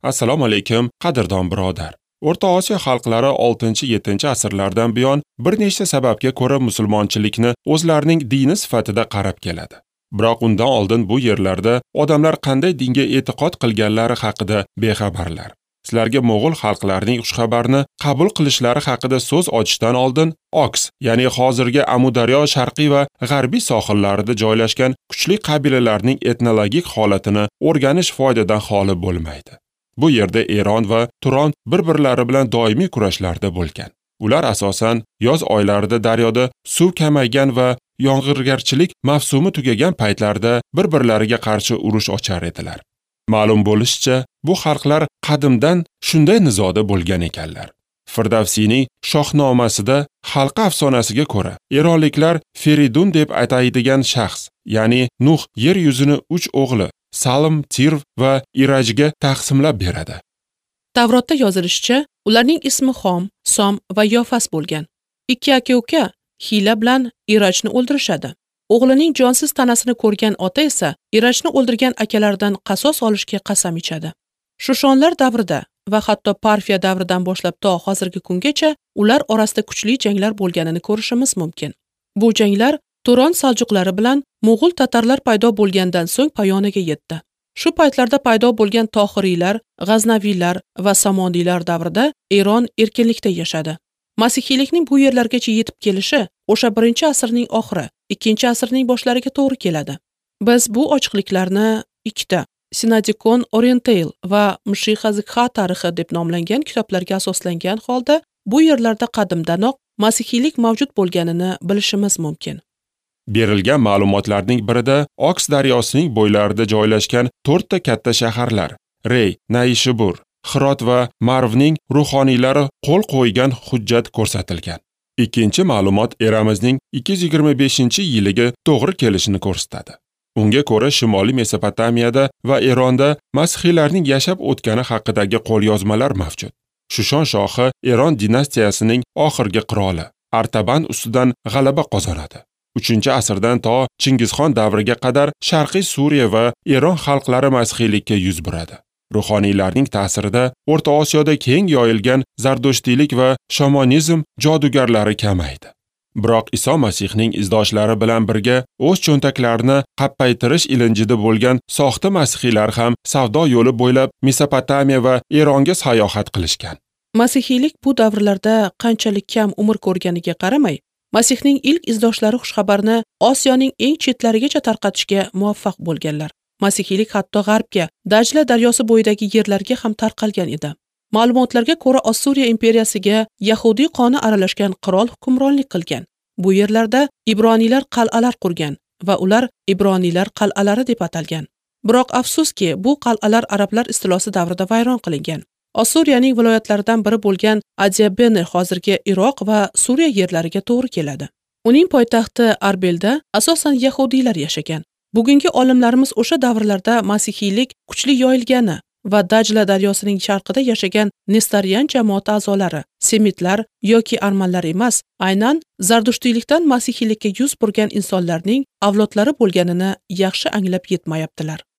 Assalomu alaykum, qadrdon birodar. O'rta Osiyo xalqlari 6-7 asrlardan buyon bir nechta sababga ko'ra musulmonchilikni o'zlarining dini sifatida qarab keladi. Biroq undan oldin bu yerlarda odamlar qanday dinga e'tiqod qilganlari haqida bexabarlar. Sizlarga mo'g'ul xalqlarining xushxabarni qabul qilishlari haqida so'z ochishdan oldin Oks, ya'ni hozirgi Amudaryo sharqiy va g'arbiy sohillarida joylashgan kuchli qabilalarning etnologik holatini o'rganish foydadan xoli bo'lmaydi. Bu yerda Eron va Turon bir-birlari bilan doimiy kurashlarda bo'lgan. Ular asosan yoz oylarida daryoda suv kamaygan va yomg'irgarchilik mavsumi tugagan paytlarda bir-birlariga qarshi urush ochar edilar. Ma'lum bo'lishicha, bu xalqlar qadimdan shunday nizoda bo'lgan ekanlar. Firdavsiyning Shohnomasida xalq afsonasiga ko'ra, eronliklar Feridun deb ataydigan shaxs, ya'ni Nuh yer yuzini 3 o'g'li Salm, Tirv va Irajga taqsimlab beradi. Tavrotda yozilishicha, ularning ismi Xom, Som va Yofas bo'lgan. Ikki aka-uka hiyla bilan Irajni o'ldirishadi. O'g'lining jonsiz tanasini ko'rgan ota esa Irajni o'ldirgan akalaridan qasos olishga qasam ichadi. Shushonlar davrida va hatto Parfiya davridan boshlab to hozirgi kungacha ular orasida kuchli janglar bo'lganini ko'rishimiz mumkin. Bu janglar Turon saljuqlari bilan mo'g'ul tatarlar paydo bo'lgandan so'ng poyonaga yetdi. Shu paytlarda paydo bo'lgan Tohiriylar, G'aznaviylar va Samoniylar davrida Eron erkinlikda yashadi. Masihiylikning bu yerlargacha yetib kelishi o'sha 1-asrning oxiri, 2-asrning boshlariga to'g'ri keladi. Biz bu ochiqliklarni ikkita Sinadikon Oriental va Mshixazikha tarixi deb nomlangan kitoblarga asoslangan holda bu yerlarda qadimdanoq masihiylik mavjud bo'lganini bilishimiz mumkin. Berilgan ma'lumotlarning birida Oks daryosining bo'ylarida joylashgan 4 ta katta shaharlar Rey, Naishibur, Xirot va Marvning ruhoniylari qo'l qo'ygan hujjat ko'rsatilgan. Ikkinchi ma'lumot eramizning 225-yiliga to'g'ri kelishini ko'rsatadi. Unga ko'ra Shimoliy Mesopotamiyada va Eronda masihiylarning yashab o'tgani haqidagi qo'lyozmalar mavjud. Shushon shohi Eron dinastiyasining oxirgi qiroli Artaban ustidan g'alaba qozonadi. 3-asrdan to Chingizxon davriga qadar Sharqiy Suriya va Eron xalqlari masihiylikka yuz buradi. Ruhoniylarning ta'sirida O'rta Osiyoda keng yoyilgan zardushtiylik va shamonizm jodugarlari kamaydi. Biroq Iso Masihning izdoshlari bilan birga o'z cho'ntaklarini qappaytirish ilinjida bo'lgan soxta masihiylar ham savdo yo'li bo'ylab Mesopotamiya va Eronga sayohat qilishgan. Masihiylik bu davrlarda qanchalik kam umr ko'rganiga qaramay, Masihning ilk izdoshlari xushxabarni Osiyoning eng chetlarigacha tarqatishga muvaffaq bo'lganlar. Masihiylik hatto g'arbga, Dajla daryosi bo'yidagi yerlarga ham tarqalgan edi. Ma'lumotlarga ko'ra, Ossuriya imperiyasiga yahudiy qoni aralashgan qirol hukmronlik qilgan. Bu yerlarda ibroniylar qal'alar qurgan va ular ibroniylar qal'alari deb atalgan. Biroq afsuski, bu qal'alar arablar istilosi davrida vayron qilingan. Ossuriyaning viloyatlaridan biri bo'lgan Adiabene hozirgi Iroq va Suriya yerlariga to'g'ri keladi. Uning poytaxti Arbelda asosan yahudiylar yashagan. Bugungi olimlarimiz o'sha davrlarda masihiylik kuchli yoyilgani va Dajla daryosining sharqida yashagan Nestorian jamoati a'zolari, semitlar yoki armanlar emas, aynan zardushtiylikdan masihiylikka yuz burgan insonlarning avlodlari bo'lganini yaxshi anglab yetmayaptilar.